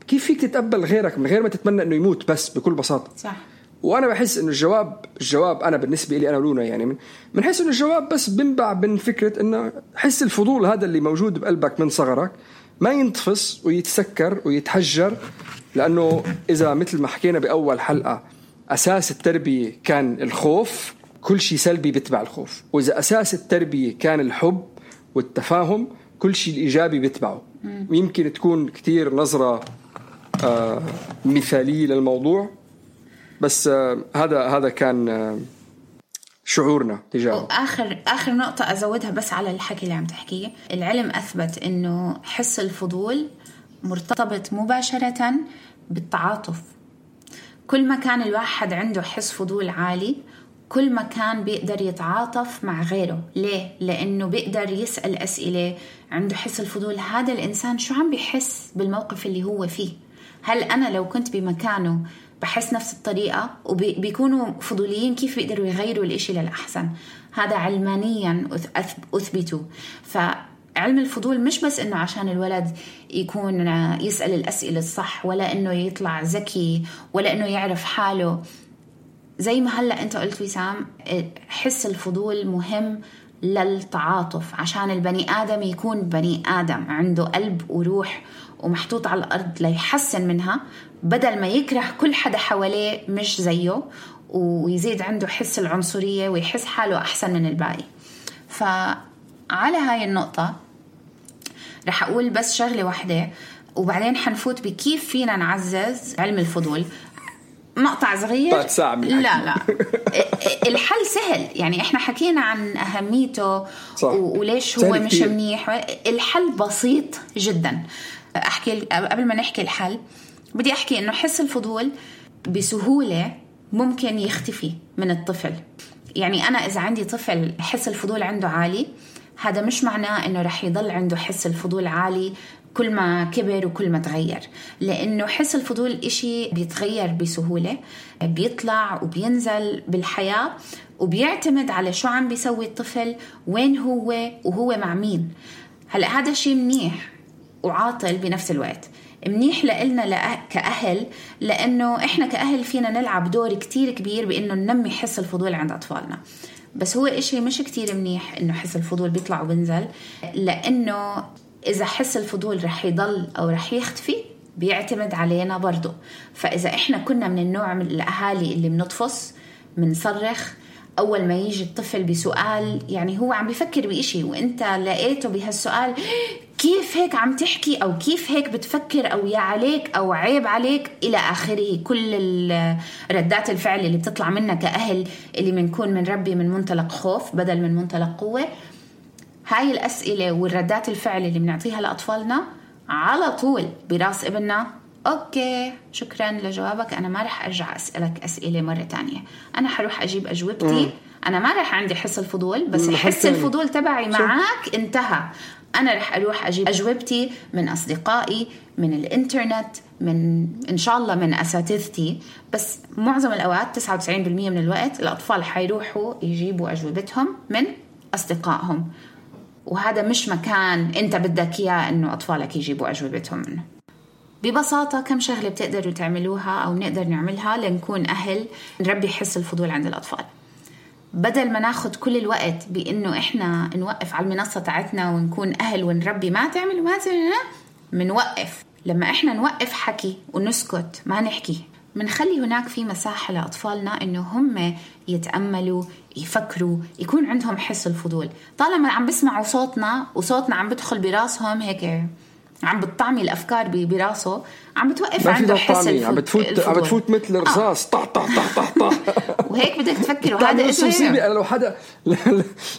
كيف فيك تتقبل غيرك من غير ما تتمنى إنه يموت؟ بس بكل بساطة. صح. وأنا بحس إنه الجواب الجواب أنا بالنسبة لي أنا ولونا يعني من من حيث إنه الجواب بس بنبع من فكرة إنه حس الفضول هذا اللي موجود بقلبك من صغرك ما ينتفس ويتسكر ويتحجر، لأنه إذا مثل ما حكينا بأول حلقة أساس التربية كان الخوف، كل شيء سلبي بيتبع الخوف، وإذا أساس التربية كان الحب والتفاهم كل شيء الإيجابي بيتبعه. ويمكن تكون كتير نظرة آه مثالية للموضوع، بس آه هذا هذا كان آه شعورنا تجاهه. وآخر آخر نقطة أزودها بس على الحكي اللي عم تحكيه، العلم أثبت إنه حس الفضول مرتبط مباشرة بالتعاطف. كل ما كان الواحد عنده حس فضول عالي كل ما كان بيقدر يتعاطف مع غيره. ليه؟ لأنه بيقدر يسأل أسئلة. عنده حس الفضول، هذا الإنسان شو عم بيحس بالموقف اللي هو فيه؟ هل أنا لو كنت بمكانه بحس نفس الطريقة؟ وبيكونوا فضوليين كيف بيقدروا يغيروا الإشي للأحسن. هذا علمانيا أثبتوا. فعلم الفضول مش بس إنه عشان الولد يكون يسأل الأسئلة الصح، ولا إنه يطلع ذكي، ولا إنه يعرف حاله. زي ما هلأ أنت قلت وسام، حس الفضول مهم للتعاطف، عشان البني آدم يكون بني آدم عنده قلب وروح ومحطوط على الأرض ليحسن منها، بدل ما يكره كل حدا حواليه مش زيه ويزيد عنده حس العنصرية ويحس حاله أحسن من الباقي. فعلى هاي النقطة رح أقول بس شغلة واحدة وبعدين حنفوت بكيف فينا نعزز علم الفضول. مقطع صغير. لا لا الحل سهل، يعني احنا حكينا عن أهميته وليش هو مش منيح. الحل بسيط جدا. أحكي قبل ما نحكي الحل بدي أحكي إنه حس الفضول بسهولة ممكن يختفي من الطفل. يعني أنا إذا عندي طفل حس الفضول عنده عالي، هذا مش معناه إنه رح يضل عنده حس الفضول عالي كل ما كبر وكل ما تغير، لأنه حس الفضول إشي بيتغير بسهولة، بيطلع وبينزل بالحياة، وبيعتمد على شو عم بيسوي الطفل، وين هو وهو مع مين. هلأ هذا شيء منيح وعاطل بنفس الوقت. منيح لإلنا كأهل، لأنه إحنا كأهل فينا نلعب دور كتير كبير بإنه ننمي حس الفضول عند أطفالنا. بس هو إشي مش كتير منيح إنه حس الفضول بيطلع وبنزل، لأنه إذا حس الفضول رح يضل أو رح يختفي بيعتمد علينا برضو. فإذا إحنا كنا من النوع من الأهالي اللي منطفص منصرخ أول ما يجي الطفل بسؤال، يعني هو عم بيفكر بإشي وإنت لقيته بهالسؤال كيف هيك عم تحكي، أو كيف هيك بتفكر، أو يا عليك، أو عيب عليك، إلى آخره. كل ردات الفعل اللي بتطلع منا كأهل اللي منكون من ربي من منطلق خوف بدل من منطلق قوة، هاي الأسئلة والردات الفعل اللي بنعطيها لأطفالنا على طول براس ابننا أوكي شكرا لجوابك، أنا ما رح أرجع أسألك أسئلة مرة تانية، أنا حروح أجيب أجوبتي. أنا ما رح عندي حس الفضول، بس حس الفضول تبعي معك انتهى. أنا رح أروح أجيب أجوبتي من أصدقائي، من الإنترنت، من إن شاء الله من أساتذتي. بس معظم الأوقات تسعة وتسعين بالمية من الوقت الأطفال حيروحوا يجيبوا أجوبتهم من أصدقائهم. وهذا مش مكان أنت بدك إياه إنه أطفالك يجيبوا أجوبتهم منه. ببساطة كم شغلة بتقدروا تعملوها أو نقدر نعملها لنكون أهل نربي حس الفضول عند الأطفال، بدل ما ناخد كل الوقت بإنه إحنا نوقف على المنصة تاعتنا ونكون أهل ونربي ما تعمل وما تعمل. منوقف لما إحنا نوقف حكي ونسكت ما نحكي، منخلي هناك في مساحة لأطفالنا إنه هم يتأملوا يفكروا يكون عندهم حس الفضول. طالما عم بسمعوا صوتنا وصوتنا عم بدخل براسهم هيك عم بتطعمي الأفكار براسه، عم بتوقف عنده حس الفضول، عم بتفوت عم بتفوت مثل الرصاص طح طح طح طح طح وهيك بدك تفكر. وهذا اسمه أنا لو حدا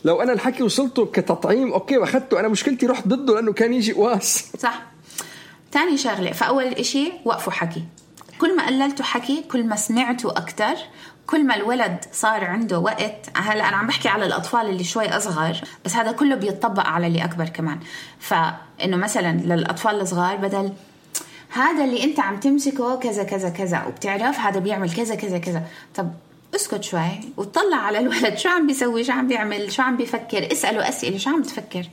لو أنا الحكي وصلته كتطعيم أوكي وأخذته، أنا مشكلتي رحت ضده لأنه كان يجي قواس. صح. تاني شغلة، فأول إشي وقفوا حكي. كل ما قللتوا حكي كل ما سمعتوا أكتر، كل ما الولد صار عنده وقت. هلا أنا عم بحكي على الأطفال اللي شوي أصغر، بس هذا كله بيتطبق على اللي أكبر كمان. فإنه مثلا للأطفال الصغار بدل هذا اللي أنت عم تمسكه كذا كذا كذا وبتعرف هذا بيعمل كذا كذا كذا، طب اسكت شوي وتطلع على الولد شو عم بيسوي، شو عم بيعمل، شو عم بيفكر، اسأله أسئلة شو عم بتفكر.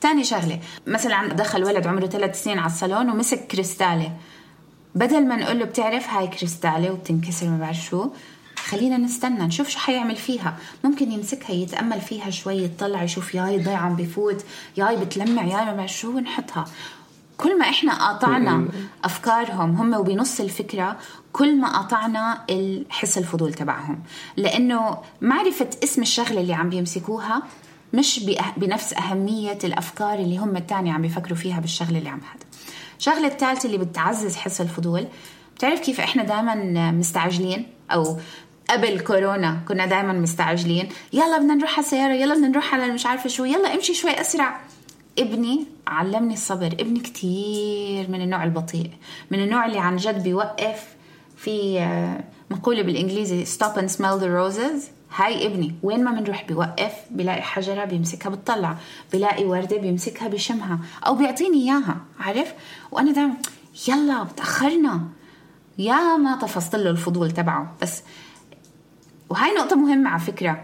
تاني شغلة، مثلا دخل ولد عمره ثلاث سنين على الصالون ومسك كريستالة، بدل ما نقول له بتعرف هاي كريستالة وبتنكسر ما بعرف شو، خلينا نستنى نشوف شو حيعمل فيها. ممكن يمسكها يتأمل فيها شوي، يطلع يشوف ياي ضيع عم بفوت، ياي بتلمع، ياي ما بعرف شو، ونحطها. كل ما احنا قاطعنا أفكارهم هم وبنص الفكرة، كل ما قاطعنا الحس الفضول تبعهم، لأنه معرفة اسم الشغلة اللي عم بيمسكوها مش بنفس أهمية الأفكار اللي هم التاني عم بيفكروا فيها بالشغلة اللي عم هذا. شغلة الثالثة اللي بتعزز حس الفضول، بتعرف كيف احنا دائما مستعجلين، أو قبل كورونا كنا دائما مستعجلين، يلا بدنا نروح على السيارة، يلا بدنا نروح على مش عارفة شو، يلا امشي شوي أسرع. ابني علمني الصبر، ابني كتير من النوع البطيء، من النوع اللي عن جد بيوقف. في مقولة بالإنجليزي stop and smell the roses. هاي ابني وين ما منروح بيوقف، بيلاقي حجرة بيمسكها بتطلع، بيلاقي وردة بيمسكها بيشمها أو بيعطيني إياها، عارف. وأنا دائما يلا بتأخرنا، يا ما طفصت له الفضول تبعه. بس وهاي نقطة مهمة على فكرة،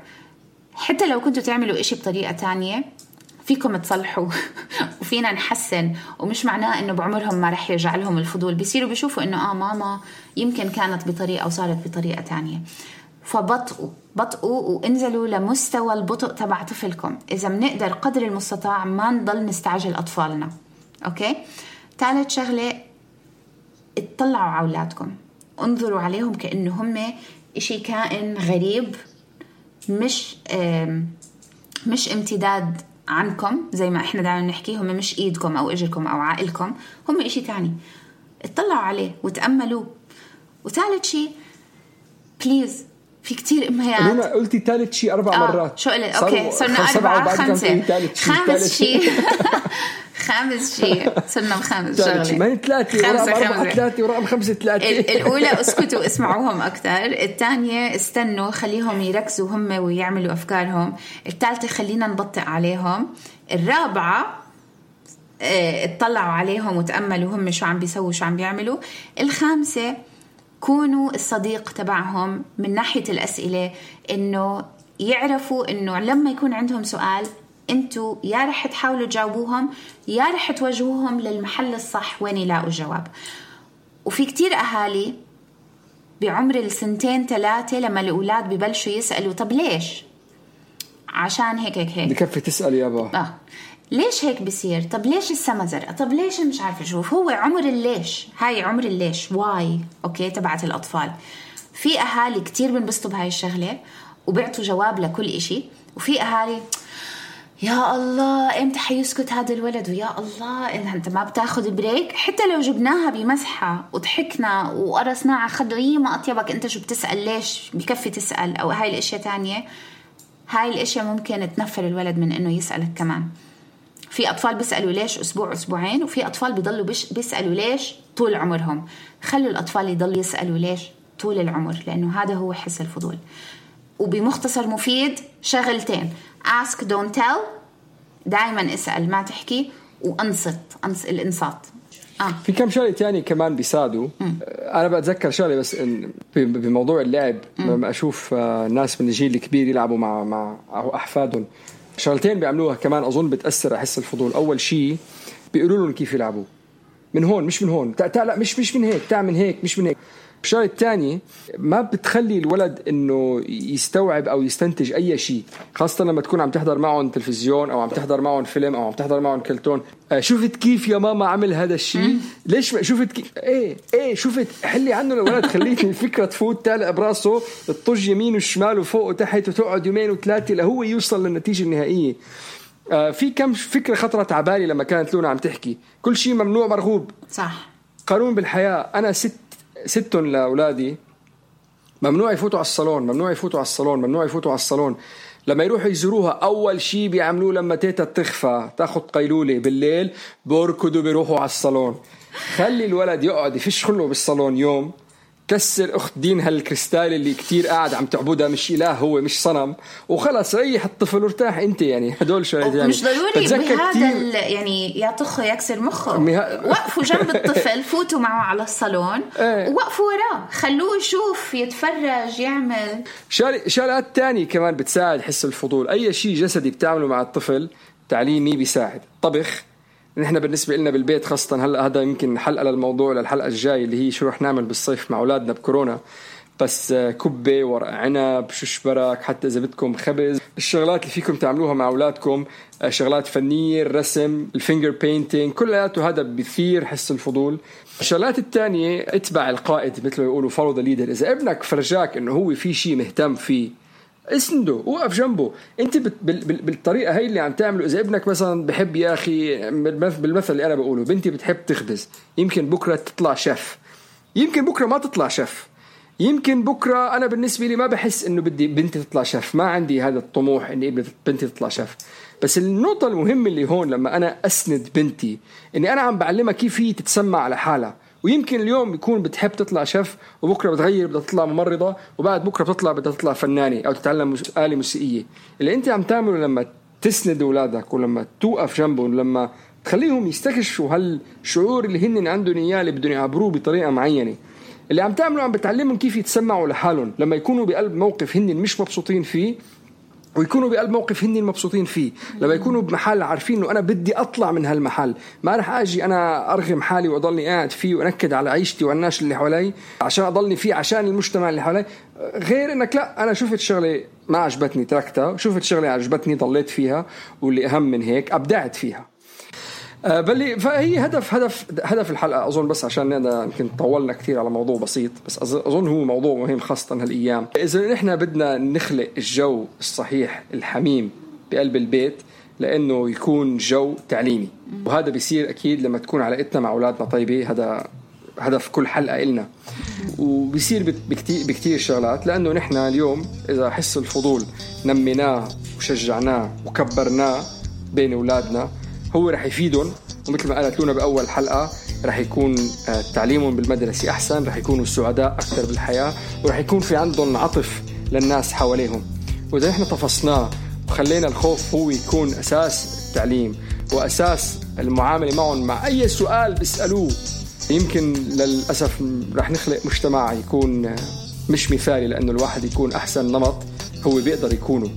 حتى لو كنتوا تعملوا إشي بطريقة تانية فيكم تصلحوا وفينا نحسن، ومش معناه إنه بعمرهم ما رح يرجع لهم الفضول، بيصيروا بيشوفوا إنه آه ماما يمكن كانت بطريقة وصارت بطريقة تانية. فبطئوا بطئوا وانزلوا لمستوى البطء تبع طفلكم. إذا منقدر قدر المستطاع ما نضل نستعجل أطفالنا. أوكي. ثالث شغلة، اطلعوا على أولادكم، انظروا عليهم كأنه هم إشي كائن غريب، مش مش امتداد عنكم زي ما احنا دائما نحكي، هم مش ايدكم او اجركم او عائلكم، هم اشي تاني. اطلعوا عليه وتأملوا. وثالث شيء بليز، في كتير امهات انا قلتي ثالث شيء اربع آه مرات. شو قلت؟ اوكي صرنا اربعة خمسة خامس شيء خامس شيء صرنا بخامس شغله، ما هي ثلاثه ورقم ثلاثه ورقم خمسه ثلاثه. الاولى اسكتوا اسمعوهم اكثر، الثانيه استنوا خليهم يركزوا هم ويعملوا افكارهم، الثالثه خلينا نبطئ عليهم، الرابعه اه اطلعوا عليهم وتأملوا هم شو عم بيسووا شو عم بيعملوا، الخامسه كونوا الصديق تبعهم من ناحيه الاسئله، انه يعرفوا انه لما يكون عندهم سؤال انتوا يا رح تحاولوا تجاوبوهم يا رح توجهوهم للمحل الصح وين يلاقوا الجواب. وفي كتير أهالي بعمر السنتين ثلاثة لما الأولاد ببلشوا يسألوا طب ليش، عشان هيك هيك هيك بكفي تسأل يابا آه. ليش هيك بصير، طب ليش السما زرقاء، طب ليش مش عارفة شوف. هو عمر الليش، هاي عمر الليش واي أوكي تبعت الأطفال. في أهالي كتير بنبسطوا بهاي الشغلة وبيعطوا جواب لكل إشي، وفي أهالي يا الله امتى حيسكت هذا الولد، ويا الله انت ما بتاخد بريك. حتى لو جبناها بمزحة وضحكنا وقرصنا على خده، هي ما أطيبك انت شو بتسأل، ليش بكفي تسأل، او هاي الاشياء تانية، هاي الاشياء ممكن تنفر الولد من انه يسألك كمان. في اطفال بيسألوا ليش اسبوع اسبوعين، وفي اطفال بيضلوا بيسألوا ليش طول عمرهم. خلوا الاطفال يضلوا يسألوا ليش طول العمر، لانه هذا هو حس الفضول. وبمختصر مفيد شغلتين، ask don't tell، دائما اسأل ما تحكي، وانصت انصت الانصات. آه. في كم شغله تاني كمان بيساعدوا. انا بتذكر شغله بس إن بموضوع اللعب، لما اشوف ناس من الجيل الكبير يلعبوا مع مع احفادهم شغلتين بيعملوها كمان أظن بتأثر على حس الفضول. أول شيء بيقولوا لهم كيف يلعبوا من هون مش من هون، تع لا مش مش من هيك، تعال من هيك مش من هيك. الشغلة الثانية ما بتخلي الولد إنه يستوعب أو يستنتج أي شيء، خاصة لما تكون عم تحضر معهم تلفزيون أو عم تحضر معهم فيلم أو عم تحضر معهم كرتون. آه شفت كيف يا ماما عمل هذا الشيء؟ ليش شفت كيف؟ إيه إيه شفت، حلي عنه الولد، خليت الفكرة تفوت تعلق براسه، تطج يمين وشمال وفوق وتحت وتقعد يومين وثلاثة لهو يوصل للنتيجة النهائية. آه في كم فكرة خطرت على بالي لما كانت لونا عم تحكي كل شيء ممنوع مرغوب. صح. قانون بالحياة. أنا ست ستون لأولادي ممنوع يفوتوا على الصالون، ممنوع يفوتوا على الصالون، ممنوع يفوتوا على الصالون. لما يروحوا يزوروها أول شيء بيعملوه لما تيتا تخفى تاخد قيلولة بالليل بوركدوا بيروحوا على الصالون. خلي الولد يقعد يفش خله بالصالون يوم، كسر أخت دين هالكريستال اللي كتير قاعد عم تعبدها، مش إله هو مش صنم، وخلص ريح الطفل وارتاح انت. يعني هدول شوية يعني مش ضروري بهذا يعني يعطخه يكسر مخه. مه... وقفوا جنب الطفل، فوتوا معه على الصالون ايه. ووقفوا وراه، خلوه يشوف يتفرج يعمل شغلات تانية كمان بتساعد حس الفضول. أي شيء جسدي بتعمله مع الطفل تعليمي بيساعد. طبخ نحن بالنسبة لنا بالبيت خاصة هلأ، هذا يمكن حلقة للموضوع للحلقة الجاي اللي هي شو رح نعمل بالصيف مع أولادنا بكورونا، بس كبة، ورق عنب، ششبرك، حتى إذا بدكم خبز. الشغلات اللي فيكم تعملوها مع أولادكم شغلات فنية، الرسم، الفينجر بينتينج، كلياته هذا بيثير حس الفضول. الشغلات الثانية اتبع القائد، مثل ما يقولوا follow the leader. إذا ابنك فرجاك إنه هو في شيء مهتم فيه اسنده، وقف جنبه. انت بالطريقه هاي اللي عم تعمله. اذا ابنك مثلا بحب يا اخي بالمثل اللي انا بقوله، بنتي بتحب تخبز، يمكن بكره تطلع شيف، يمكن بكره ما تطلع شيف، يمكن بكره انا بالنسبه لي ما بحس انه بدي بنتي تطلع شيف، ما عندي هذا الطموح اني بنتي تطلع شيف. بس النقطه المهمه اللي هون لما انا اسند بنتي اني انا عم بعلمها كيف هي تتسمع على حالها. ويمكن اليوم يكون بتحب تطلع شيف، وبكرة بتغير بدها تطلع ممرضة، وبعد بكرة بتطلع بدها تطلع فنانة أو تتعلم آلة موسيقية. اللي أنت عم تعمله لما تسند أولادك ولما توقف جنبهم، لما تخليهم يستكشفوا هالشعور اللي هن عندهم إياه اللي بدهم يعبروه بطريقة معينة، اللي عم تعمله عم بتعلمهم كيف يتسمعوا لحالهم لما يكونوا بقلب موقف هن مش مبسوطين فيه، ويكونوا بقلب موقف هن المبسوطين فيه. لما يكونوا بمحل عارفين انه انا بدي اطلع من هالمحل، ما رح اجي انا ارغم حالي واضلني قاعد فيه وانكد على عيشتي والناس اللي حوالي عشان اضلني فيه عشان المجتمع اللي حوالي. غير انك لا، انا شفت شغله ما عجبتني تركتها، شفت شغله عجبتني ضليت فيها، واللي اهم من هيك ابدعت فيها. أه بل فهي هدف هدف هدف الحلقه اظن، بس عشان يمكن طولنا كثير على موضوع بسيط، بس اظن هو موضوع مهم خاصه هالايام. اذا نحن بدنا نخلق الجو الصحيح الحميم بقلب البيت لانه يكون جو تعليمي، وهذا بيصير اكيد لما تكون علاقتنا مع اولادنا طيبه. هذا هدف كل حلقه إلنا، وبيصير بكتير بكتير شغلات. لانه نحن اليوم اذا حس الفضول نميناه وشجعناه وكبرناه بين اولادنا، هو رح يفيدهم. ومثل ما قالت لونا بأول حلقة، رح يكون تعليمهم بالمدرسة أحسن، رح يكونوا سعداء أكثر بالحياة، ورح يكون في عندهم عطف للناس حواليهم. وإذا إحنا تفصناه وخلينا الخوف هو يكون أساس التعليم وأساس المعاملة معهم، مع أي سؤال بيسألوه، يمكن للأسف رح نخلق مجتمع يكون مش مثالي، لأنه الواحد يكون أحسن نمط هو بيقدر يكونه.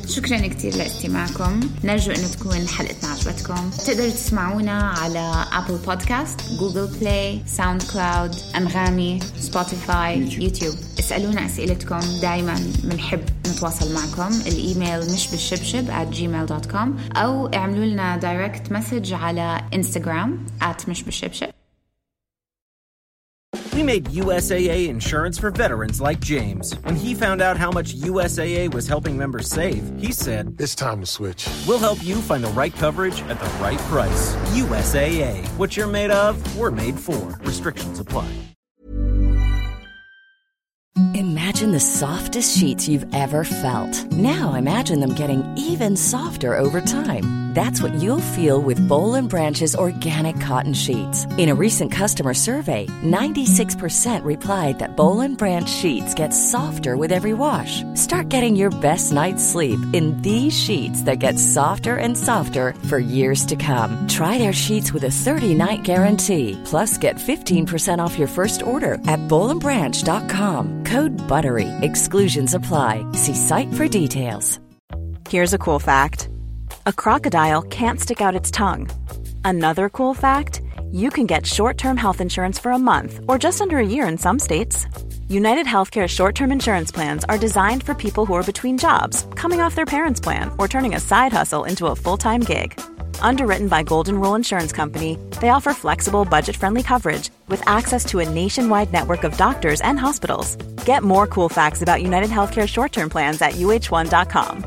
شكرا كتير لاستماعكم، نرجو أنه تكون حلقتنا عجبتكم. تقدروا تسمعونا على أبل بودكاست، جوجل بلاي، ساوند كلاود، أنغامي، سبوتيفاي، يوتيوب. اسألونا أسئلتكم، دايما منحب نتواصل معكم. الإيميل مش بالشبشب at gmail dot com، أو اعملوا لنا دايركت مسج على إنستغرام at مش بالشبشب. We made U S A A insurance for veterans like James. When he found out how much U S A A was helping members save, he said, "It's time to switch. We'll help you find the right coverage at the right price. U S A A. What you're made of, we're made for. Restrictions apply." Imagine the softest sheets you've ever felt. Now imagine them getting even softer over time. That's what you'll feel with Boll and Branch's organic cotton sheets. In a recent customer survey, ninety-six percent replied that Boll and Branch sheets get softer with every wash. Start getting your best night's sleep in these sheets that get softer and softer for years to come. Try their sheets with a thirty-night guarantee. Plus, get fifteen percent off your first order at boll and branch dot com. Code BUTTERY. Exclusions apply. See site for details. Here's a cool fact. A crocodile can't stick out its tongue. Another cool fact, you can get short-term health insurance for a month or just under a year in some states. United Healthcare short-term insurance plans are designed for people who are between jobs, coming off their parents' plan, or turning a side hustle into a full-time gig. Underwritten by Golden Rule Insurance Company, they offer flexible, budget-friendly coverage with access to a nationwide network of doctors and hospitals. Get more cool facts about United Healthcare short-term plans at U H one dot com.